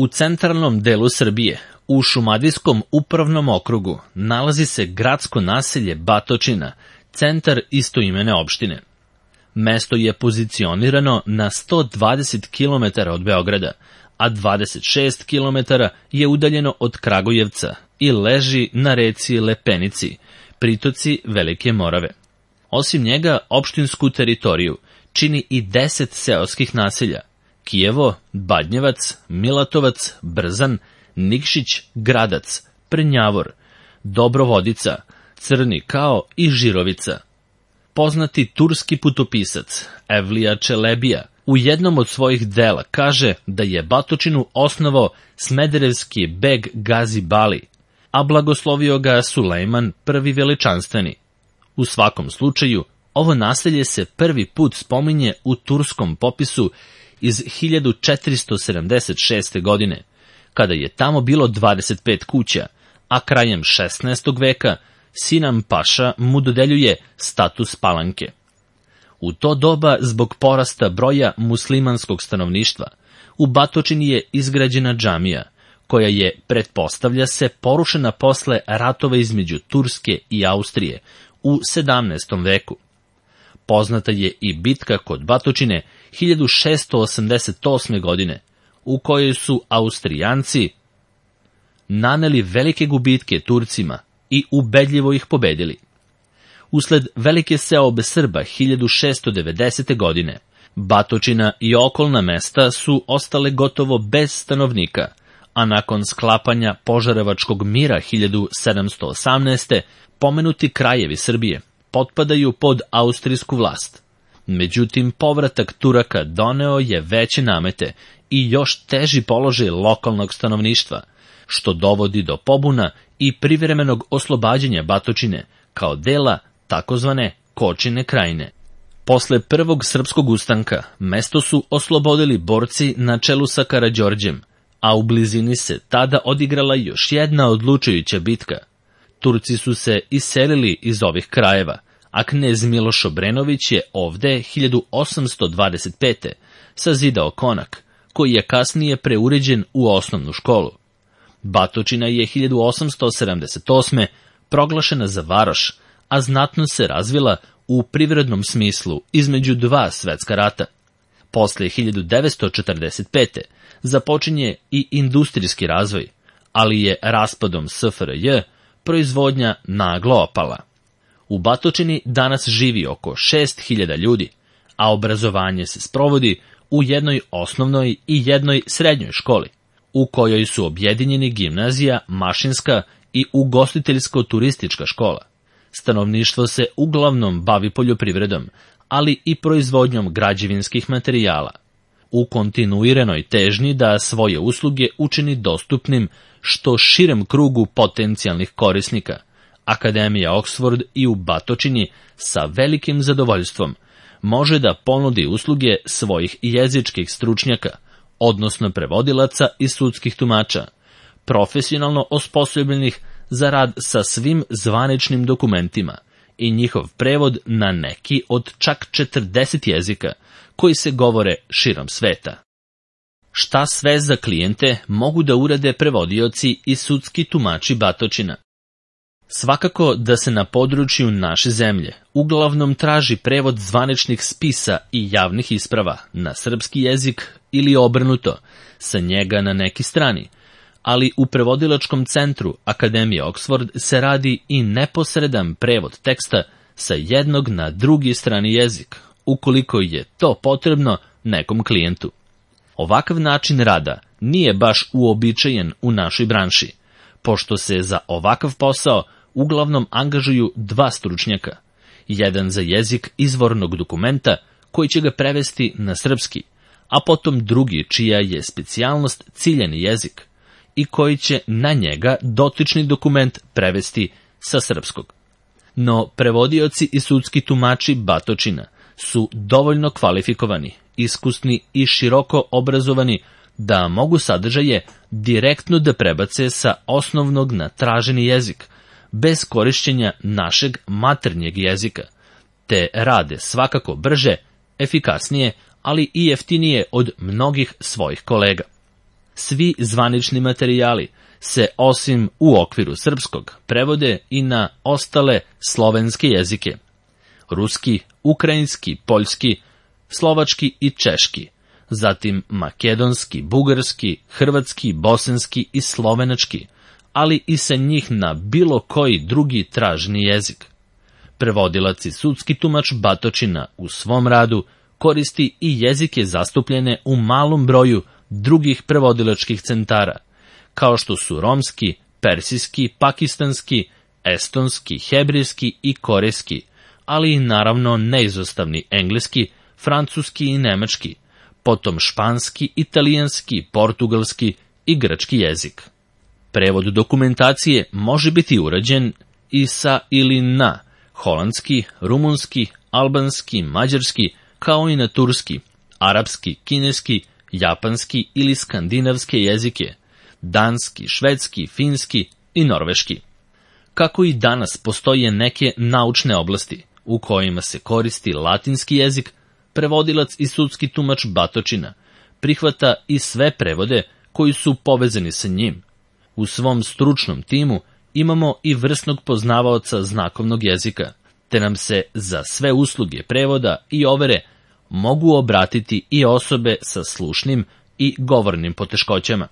U centralnom delu Srbije, u Šumadijskom upravnom okrugu, nalazi se gradsko naselje Batočina, centar istoimene opštine. Mesto je pozicionirano na 120 km od Beograda, a 26 km je udaljeno od Kragujevca i leži na reci Lepenici, pritoci Velike Morave. Osim njega, opštinsku teritoriju čini i 10 seoskih naselja: Kijevo, Badnjevac, Milatovac, Brzan, Nikšić, Gradac, Prnjavor, Dobrovodica, Crni Kao i Žirovica. Poznati turski putopisac Evlija Čelebija u jednom od svojih dela kaže da je Batočinu osnovao smederevski beg Gazi Bali, a blagoslovio ga Sulejman I Veličanstveni. U svakom slučaju, ovo naselje se prvi put spominje u turskom popisu iz 1476. godine, kada je tamo bilo 25 kuća, a krajem 16. veka Sinan Paša mu dodeljuje status palanke. U to doba, zbog porasta broja muslimanskog stanovništva, u Batočini je izgrađena džamija, koja je, pretpostavlja se, porušena posle ratova između Turske i Austrije u 17. veku. Poznata je i bitka kod Batočine 1688. godine, u kojoj su Austrijanci naneli velike gubitke Turcima i ubedljivo ih pobedili. Usled velike seobe Srba 1690. godine, Batočina i okolna mesta su ostale gotovo bez stanovnika, a nakon sklapanja Požarevačkog mira 1718. pomenuti krajevi Srbije potpadaju pod austrijsku vlast. Međutim, povratak Turaka doneo je veće namete i još teži položaj lokalnog stanovništva, što dovodi do pobuna i privremenog oslobađanja Batočine kao dela takozvane Kočine krajine. Posle prvog srpskog ustanka mesto su oslobodili borci na čelu sa Karađorđem, a u blizini se tada odigrala još jedna odlučujuća bitka. Turci su se iselili iz ovih krajeva, a knez Miloš Obrenović je ovde 1825. sazidao konak, koji je kasnije preuređen u osnovnu školu. Batočina je 1878. proglašena za varoš, a znatno se razvila u privrednom smislu između dva svetska rata. Posle 1945. započinje i industrijski razvoj, ali je raspadom SFRJ proizvodnja naglo opala. U Batočini danas živi oko 6000 ljudi, a obrazovanje se sprovodi u jednoj osnovnoj i jednoj srednjoj školi, u kojoj su objedinjeni gimnazija, mašinska i ugostiteljsko-turistička škola. Stanovništvo se uglavnom bavi poljoprivredom, ali i proizvodnjom građevinskih materijala. U kontinuiranoj težnji da svoje usluge učini dostupnim što širem krugu potencijalnih korisnika, Akademija Oxford i u Batočini sa velikim zadovoljstvom može da ponudi usluge svojih jezičkih stručnjaka, odnosno prevodilaca i sudskih tumača, profesionalno osposobljenih za rad sa svim zvaničnim dokumentima i njihov prevod na neki od čak 40 jezika koji se govore širom sveta. Šta sve za klijente mogu da urade prevodioci i sudski tumači Batočina? Svakako da se na području naše zemlje uglavnom traži prevod zvaničnih spisa i javnih isprava na srpski jezik ili obrnuto, sa njega na neki strani, ali u prevodilačkom centru Akademije Oxford se radi i neposredan prevod teksta sa jednog na drugi strani jezik, ukoliko je to potrebno nekom klijentu. Ovakav način rada nije baš uobičajen u našoj branši, pošto se za ovakav posao uglavnom angažuju dva stručnjaka, jedan za jezik izvornog dokumenta koji će ga prevesti na srpski, a potom drugi čija je specijalnost ciljani jezik i koji će na njega dotični dokument prevesti sa srpskog. No prevodioci i sudski tumači Batočina su dovoljno kvalifikovani, iskusni i široko obrazovani da mogu sadržaje direktno da prebace sa osnovnog na traženi jezik, bez korišćenja našeg maternjeg jezika, te rade svakako brže, efikasnije, ali i jeftinije od mnogih svojih kolega. Svi zvanični materijali se, osim u okviru srpskog, prevode i na ostale slovenske jezike: ruski, ukrajinski, poljski, slovački i češki, zatim makedonski, bugarski, hrvatski, bosanski i slovenački, ali i sa njih na bilo koji drugi traženi jezik. Prevodilac i sudski tumač Batočina u svom radu koristi i jezike zastupljene u malom broju drugih prevodilačkih centara, kao što su romski, persijski, pakistanski, estonski, hebrejski i korejski, ali i naravno neizostavni engleski, francuski i nemački, potom španski, italijanski, portugalski i grčki jezik. Prevod dokumentacije može biti urađen i sa ili na holandski, rumunski, albanski, mađarski, kao i na turski, arapski, kineski, japanski ili skandinavske jezike, danski, švedski, finski i norveški. Kako i danas postoje neke naučne oblasti u kojima se koristi latinski jezik, prevodilac i sudski tumač Batočina prihvata i sve prevode koji su povezani sa njim. U svom stručnom timu imamo i vrsnog poznavaoca znakovnog jezika, te nam se za sve usluge prevoda i overe mogu obratiti i osobe sa slušnim i govornim poteškoćama.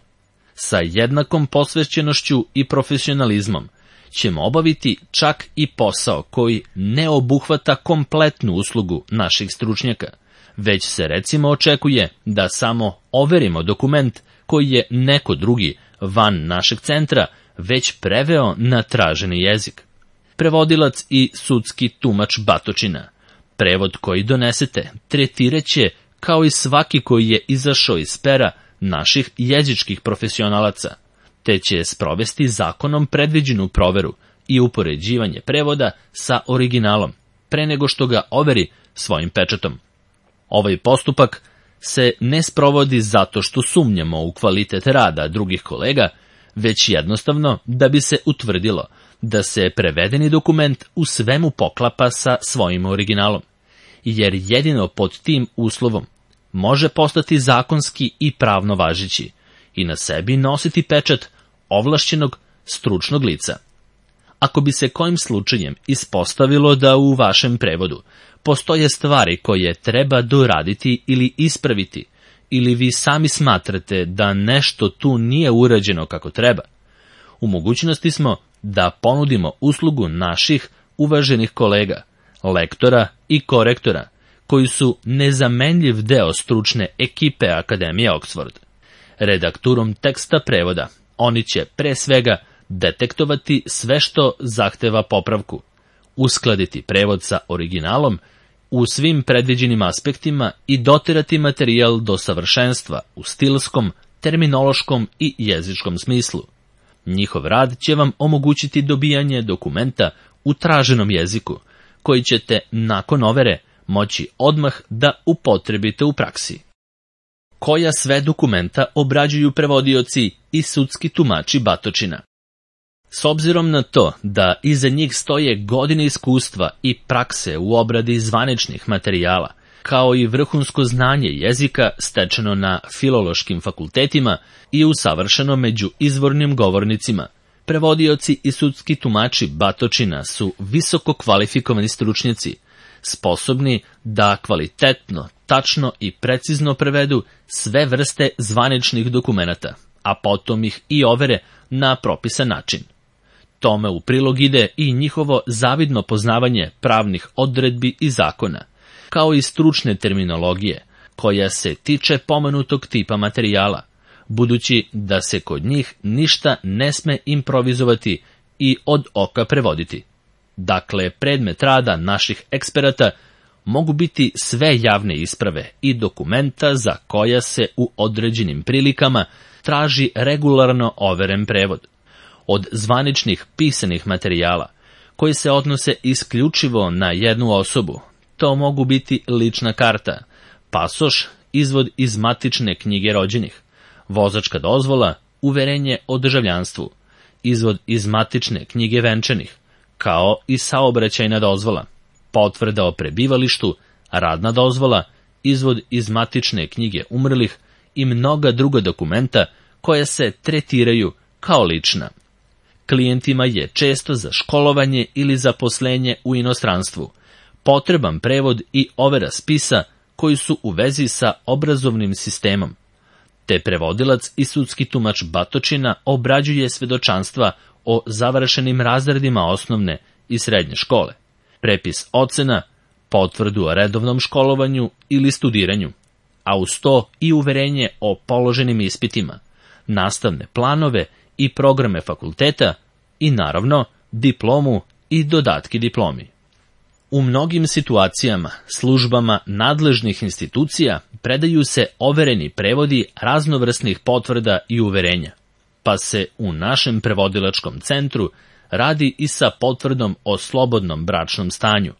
Sa jednakom posvećenošću i profesionalizmom ćemo obaviti čak i posao koji ne obuhvata kompletnu uslugu naših stručnjaka, već se recimo očekuje da samo overimo dokument koji je neko drugi van našeg centra već preveo na traženi jezik. Prevodilac i sudski tumač Batočina prevod koji donesete tretiraće kao i svaki koji je izašao iz pera naših jezičkih profesionalaca, te će sprovesti zakonom predviđenu proveru i upoređivanje prevoda sa originalom, pre nego što ga overi svojim pečatom. Ovaj postupak se ne sprovodi zato što sumnjamo u kvalitet rada drugih kolega, već jednostavno da bi se utvrdilo da se prevedeni dokument u svemu poklapa sa svojim originalom, jer jedino pod tim uslovom može postati zakonski i pravno važeći i na sebi nositi pečat ovlašćenog stručnog lica. Ako bi se kojim slučajem ispostavilo da u vašem prevodu postoje stvari koje treba doraditi ili ispraviti, ili vi sami smatrate da nešto tu nije urađeno kako treba, u mogućnosti smo da ponudimo uslugu naših uvaženih kolega, lektora i korektora, koji su nezamenljiv deo stručne ekipe Akademije Oxford. Redakturom teksta prevoda oni će pre svega detektovati sve što zahteva popravku, uskladiti prevod sa originalom u svim predviđenim aspektima i doterati materijal do savršenstva u stilskom, terminološkom i jezičkom smislu. Njihov rad će vam omogućiti dobijanje dokumenta u traženom jeziku, koji ćete nakon overe moći odmah da upotrebite u praksi. Koja sve dokumenta obrađuju prevodioci i sudski tumači Batočina? S obzirom na to da iza njih stoje godine iskustva i prakse u obradi zvaničnih materijala, kao i vrhunsko znanje jezika stečeno na filološkim fakultetima i usavršeno među izvornim govornicima, prevodioci i sudski tumači Batočina su visoko kvalifikovani stručnjaci, sposobni da kvalitetno, tačno i precizno prevedu sve vrste zvaničnih dokumenata, a potom ih i overe na propisan način. Tome u prilog ide i njihovo zavidno poznavanje pravnih odredbi i zakona, kao i stručne terminologije, koja se tiče pomenutog tipa materijala, budući da se kod njih ništa ne sme improvizovati i od oka prevoditi. Dakle, predmet rada naših eksperata mogu biti sve javne isprave i dokumenta za koja se u određenim prilikama traži regularno overen prevod. Od zvaničnih pisanih materijala, koji se odnose isključivo na jednu osobu, to mogu biti lična karta, pasoš, izvod iz matične knjige rođenih, vozačka dozvola, uverenje o državljanstvu, izvod iz matične knjige venčanih, kao i saobraćajna dozvola, potvrda o prebivalištu, radna dozvola, izvod iz matične knjige umrlih i mnoga druga dokumenta koja se tretiraju kao lična. Klijentima je često za školovanje ili zaposlenje u inostranstvu potreban prevod i overa spisa koji su u vezi sa obrazovnim sistemom, te prevodilac i sudski tumač batočina obrađuje svedočanstva o završenim razredima osnovne i srednje škole, prepis ocena, potvrdu o redovnom školovanju ili studiranju, a uz to i uverenje o položenim ispitima, nastavne planove i programe fakulteta i naravno diplomu i dodatki diplomi. U mnogim situacijama, službama nadležnih institucija predaju se overeni prevodi raznovrsnih potvrda i uverenja, pa se u našem prevodilačkom centru radi i sa potvrdom o slobodnom bračnom stanju,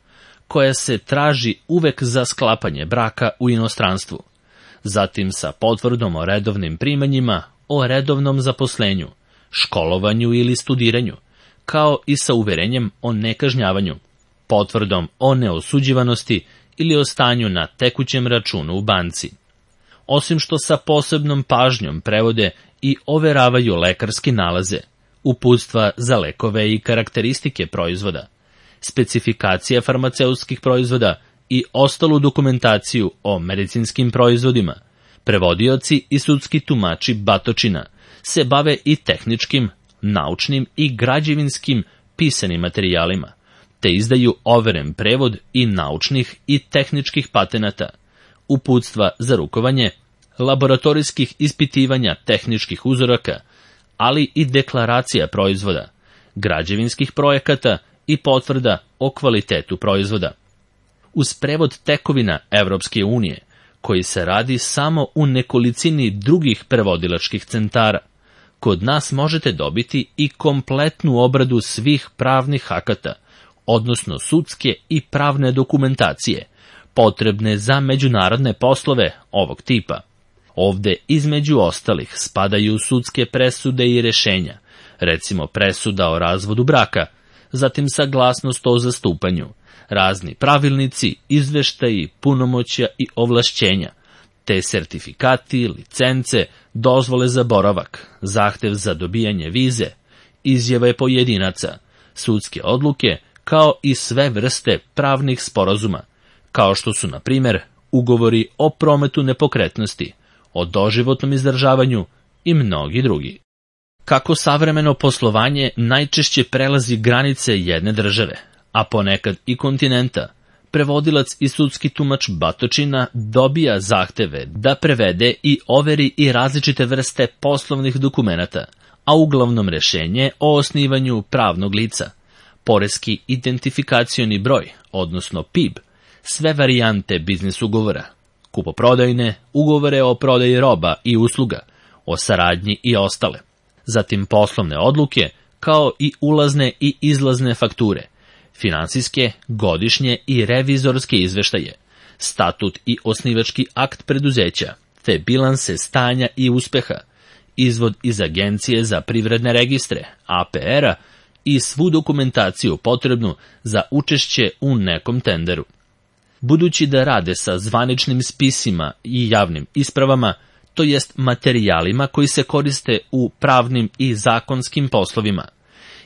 koja se traži uvek za sklapanje braka u inostranstvu, zatim sa potvrdom o redovnim primanjima, o redovnom zaposlenju, školovanju ili studiranju, kao i sa uverenjem o nekažnjavanju, potvrdom o neosuđivanosti ili o stanju na tekućem računu u banci. Osim što sa posebnom pažnjom prevode i overavaju lekarske nalaze, uputstva za lekove i karakteristike proizvoda, specifikacije farmaceutskih proizvoda i ostalu dokumentaciju o medicinskim proizvodima, prevodioci i sudski tumači batočina se bave i tehničkim, naučnim i građevinskim pisanim materijalima, te izdaju overen prevod i naučnih i tehničkih patenata, uputstva za rukovanje, laboratorijskih ispitivanja tehničkih uzoraka, ali i deklaracija proizvoda, građevinskih projekata i potvrda o kvalitetu proizvoda. Uz prevod tekovina Evropske unije, koji se radi samo u nekolicini drugih prevodilačkih centara, kod nas možete dobiti i kompletnu obradu svih pravnih akata, odnosno sudske i pravne dokumentacije, potrebne za međunarodne poslove ovog tipa. Ovde, između ostalih, spadaju sudske presude i rešenja, recimo presuda o razvodu braka, zatim saglasnost o zastupanju, razni pravilnici, izveštaji, punomoćja i ovlašćenja, te sertifikati, licence, dozvole za boravak, zahtev za dobijanje vize, izjave pojedinaca, sudske odluke, kao i sve vrste pravnih sporazuma, kao što su, na primjer, ugovori o prometu nepokretnosti, o doživotnom izdržavanju i mnogi drugi. Kako savremeno poslovanje najčešće prelazi granice jedne države, a ponekad i kontinenta, prevodilac i sudski tumač batočina dobija zahteve da prevede i overi i različite vrste poslovnih dokumenata, a uglavnom rešenje o osnivanju pravnog lica, poreski identifikacioni broj, odnosno PIB, sve varijante biznis ugovora, kupoprodajne, ugovore o prodaji roba i usluga, o saradnji i ostale, zatim poslovne odluke, kao i ulazne i izlazne fakture, finansijske, godišnje i revizorske izveštaje, statut i osnivački akt preduzeća, te bilanse stanja i uspeha, izvod iz Agencije za privredne registre, APR-a, i svu dokumentaciju potrebnu za učešće u nekom tenderu. Budući da rade sa zvaničnim spisima i javnim ispravama, to jest materijalima koji se koriste u pravnim i zakonskim poslovima,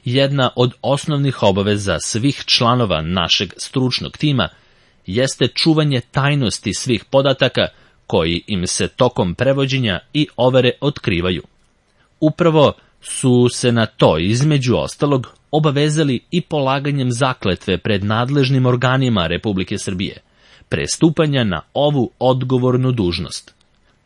jedna od osnovnih obaveza svih članova našeg stručnog tima jeste čuvanje tajnosti svih podataka koji im se tokom prevođenja i overe otkrivaju. Upravo su se na to, između ostalog, obavezali i polaganjem zakletve pred nadležnim organima Republike Srbije, pre stupanja na ovu odgovornu dužnost.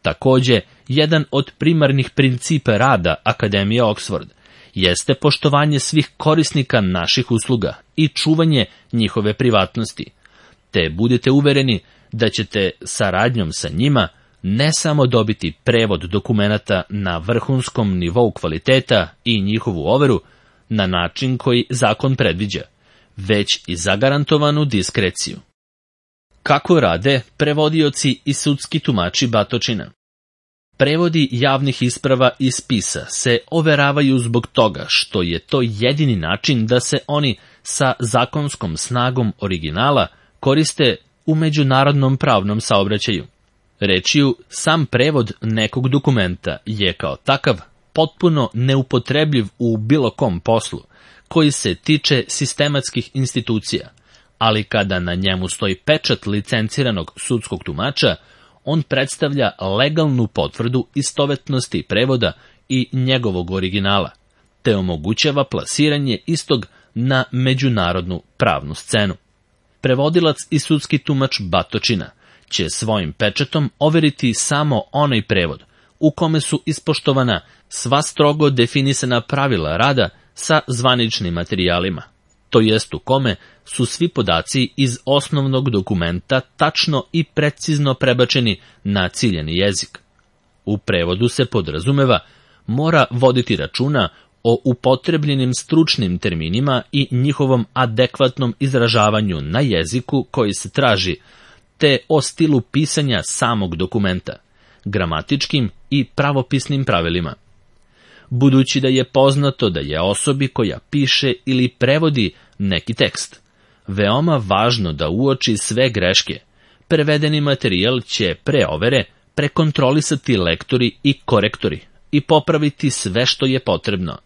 Takođe, jedan od primarnih principa rada Akademije Oxford jeste poštovanje svih korisnika naših usluga i čuvanje njihove privatnosti, te budite uvereni da ćete saradnjom sa njima ne samo dobiti prevod dokumenata na vrhunskom nivou kvaliteta i njihovu overu na način koji zakon predviđa, već i zagarantovanu diskreciju. Kako rade prevodioci i sudski tumači batočina? Prevodi javnih isprava i spisa se overavaju zbog toga što je to jedini način da se oni sa zakonskom snagom originala koriste u međunarodnom pravnom saobraćaju. Rečju, sam prevod nekog dokumenta je kao takav potpuno neupotrebljiv u bilo kom poslu koji se tiče sistematskih institucija, ali kada na njemu stoji pečat licenciranog sudskog tumača, on predstavlja legalnu potvrdu istovetnosti prevoda i njegovog originala, te omogućava plasiranje istog na međunarodnu pravnu scenu. Prevodilac i sudski tumač Batočina će svojim pečatom overiti samo onaj prevod u kome su ispoštovana sva strogo definisana pravila rada sa zvaničnim materijalima, to jest u kome su svi podaci iz osnovnog dokumenta tačno i precizno prebačeni na ciljani jezik. U prevodu se podrazumeva mora voditi računa o upotrebljenim stručnim terminima i njihovom adekvatnom izražavanju na jeziku koji se traži, te o stilu pisanja samog dokumenta, gramatičkim i pravopisnim pravilima. Budući da je poznato da je osobi koja piše ili prevodi neki tekst veoma važno da uoči sve greške, prevedeni materijal će pre overe prekontrolisati lektori i korektori i popraviti sve što je potrebno.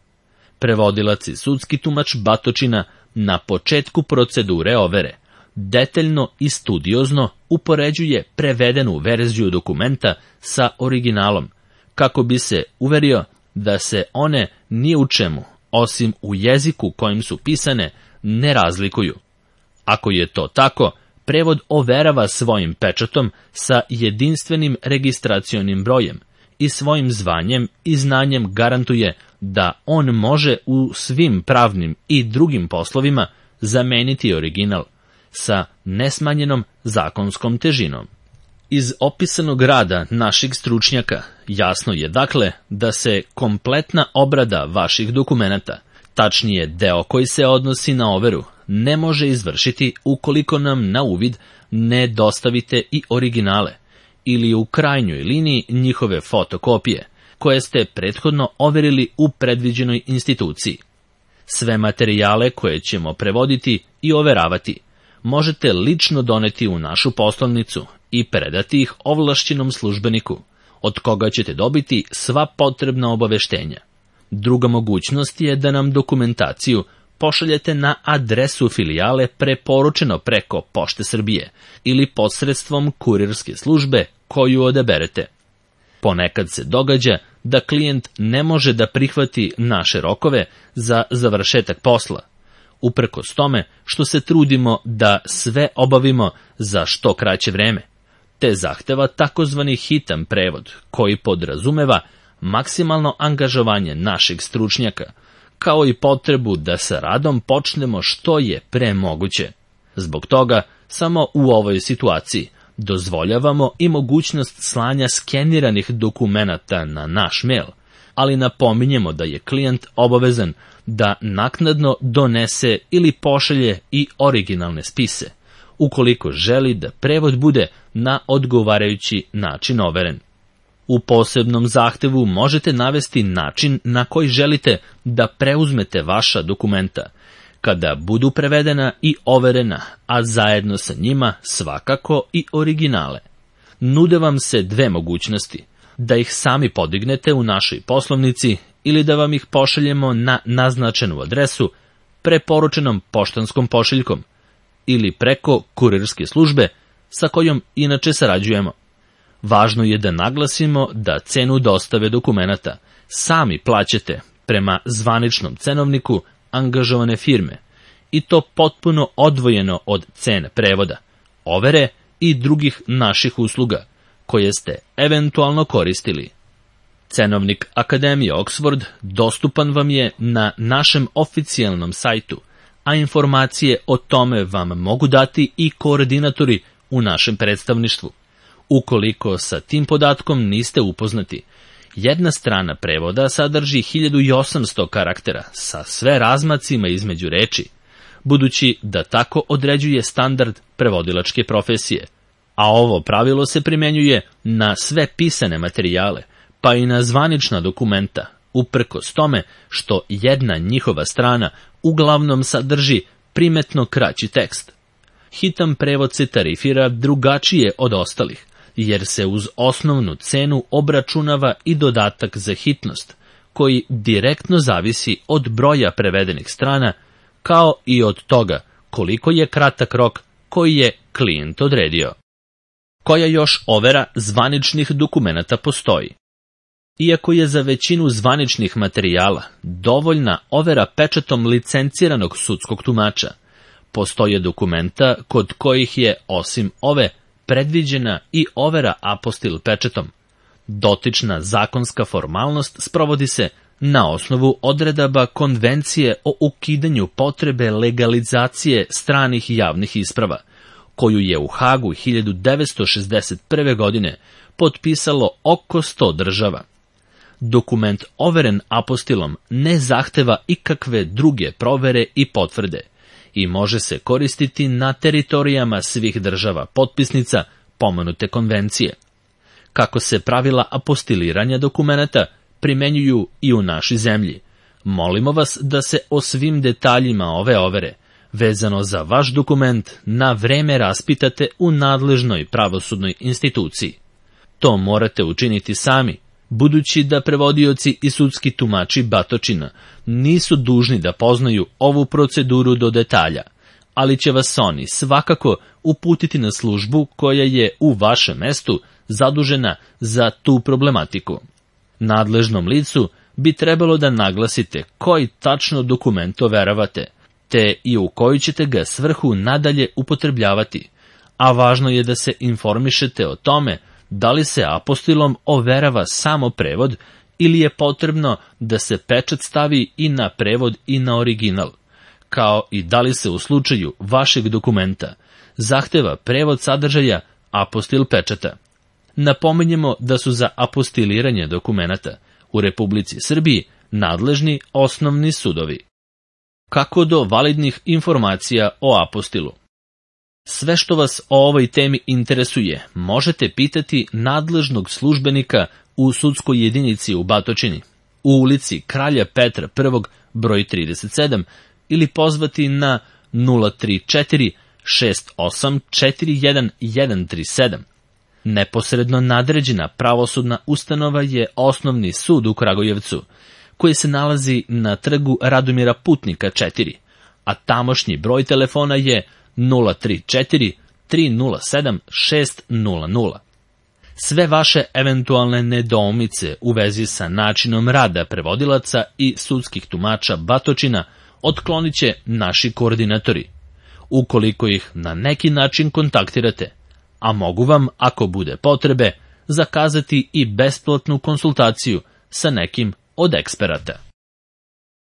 Prevodilac i sudski tumač Batočina na početku procedure overe detaljno i studiozno upoređuje prevedenu verziju dokumenta sa originalom, kako bi se uverio da se one ni u čemu, osim u jeziku kojim su pisane, ne razlikuju. Ako je to tako, prevod overava svojim pečatom sa jedinstvenim registracionim brojem i svojim zvanjem i znanjem garantuje da on može u svim pravnim i drugim poslovima zameniti original sa nesmanjenom zakonskom težinom. Iz opisanog rada naših stručnjaka jasno je dakle da se kompletna obrada vaših dokumenata, tačnije deo koji se odnosi na overu, ne može izvršiti ukoliko nam na uvid ne dostavite i originale ili u krajnjoj liniji njihove fotokopije, koje ste prethodno overili u predviđenoj instituciji. Sve materijale koje ćemo prevoditi i overavati možete lično doneti u našu poslovnicu i predati ih ovlašćenom službeniku, od koga ćete dobiti sva potrebna obaveštenja. Druga mogućnost je da nam dokumentaciju pošaljete na adresu filijale preporučeno preko Pošte Srbije ili posredstvom kurirske službe koju odaberete. Ponekad se događa da klijent ne može da prihvati naše rokove za završetak posla, uprkos tome što se trudimo da sve obavimo za što kraće vreme, te zahteva takozvani hitan prevod koji podrazumeva maksimalno angažovanje našeg stručnjaka, kao i potrebu da sa radom počnemo što je pre moguće. Zbog toga, samo u ovoj situaciji dozvoljavamo i mogućnost slanja skeniranih dokumenata na naš mail, ali napominjemo da je klijent obavezan da naknadno donese ili pošalje i originalne spise, ukoliko želi da prevod bude na odgovarajući način overen. U posebnom zahtevu možete navesti način na koji želite da preuzmete vaša dokumenta, kada budu prevedena i overena, a zajedno sa njima svakako i originale. Nude vam se dve mogućnosti, da ih sami podignete u našoj poslovnici ili da vam ih pošaljemo na naznačenu adresu preporučenom poštanskom pošiljkom ili preko kurirske službe sa kojom inače sarađujemo. Važno je da naglasimo da cenu dostave dokumenata sami plaćate prema zvaničnom cenovniku angažovane firme i to potpuno odvojeno od cene prevoda, overe i drugih naših usluga koje ste eventualno koristili. Cenovnik Akademije Oxford dostupan vam je na našem oficijalnom sajtu, a informacije o tome vam mogu dati i koordinatori u našem predstavništvu. Ukoliko sa tim podatkom niste upoznati, jedna strana prevoda sadrži 1800 karaktera sa sve razmacima između reči, budući da tako određuje standard prevodilačke profesije, a ovo pravilo se primenjuje na sve pisane materijale, pa i na zvanična dokumenta, uprkos tome što jedna njihova strana uglavnom sadrži primetno kraći tekst. Hitan prevod se tarifira drugačije od ostalih, jer se uz osnovnu cenu obračunava i dodatak za hitnost, koji direktno zavisi od broja prevedenih strana, kao i od toga koliko je kratak rok koji je klijent odredio. Koja još overa zvaničnih dokumenata postoji? Iako je za većinu zvaničnih materijala dovoljna overa pečatom licenciranog sudskog tumača, postoje dokumenta kod kojih je, osim ove, predviđena i overa apostil pečatom. Dotična zakonska formalnost sprovodi se na osnovu odredaba Konvencije o ukidanju potrebe legalizacije stranih javnih isprava, koju je u Hagu 1961. godine potpisalo oko 100 država. Dokument overen apostilom ne zahteva ikakve druge provere i potvrde i može se koristiti na teritorijama svih država potpisnica pomenute konvencije. Kako se pravila apostiliranja dokumenata primenjuju i u našoj zemlji, molimo vas da se o svim detaljima ove overe, vezano za vaš dokument, na vreme raspitate u nadležnoj pravosudnoj instituciji. To morate učiniti sami, budući da prevodioci i sudski tumači batočina nisu dužni da poznaju ovu proceduru do detalja, ali će vas oni svakako uputiti na službu koja je u vašem mestu zadužena za tu problematiku. Nadležnom licu bi trebalo da naglasite koji tačno dokument overavate, te i u koju ćete ga svrhu nadalje upotrebljavati, a važno je da se informišete o tome da li se apostilom overava samo prevod ili je potrebno da se pečat stavi i na prevod i na original, kao i da li se u slučaju vašeg dokumenta zahteva prevod sadržaja apostil pečata. Napominjemo da su za apostiliranje dokumenata u Republici Srbiji nadležni osnovni sudovi. Kako do validnih informacija o apostilu? Sve što vas o ovoj temi interesuje, možete pitati nadležnog službenika u sudskoj jedinici u Batočini, u ulici Kralja Petra I, broj 37, ili pozvati na 034 6841 137. Neposredno nadređena pravosudna ustanova je Osnovni sud u Kragujevcu, koji se nalazi na trgu Radomira Putnika 4, a tamošnji broj telefona je 034 307 600. Sve vaše eventualne nedoumice u vezi sa načinom rada prevodilaca i sudskih tumača Batočina otklonit će naši koordinatori, ukoliko ih na neki način kontaktirate, a mogu vam, ako bude potrebe, zakazati i besplatnu konsultaciju sa nekim od eksperata.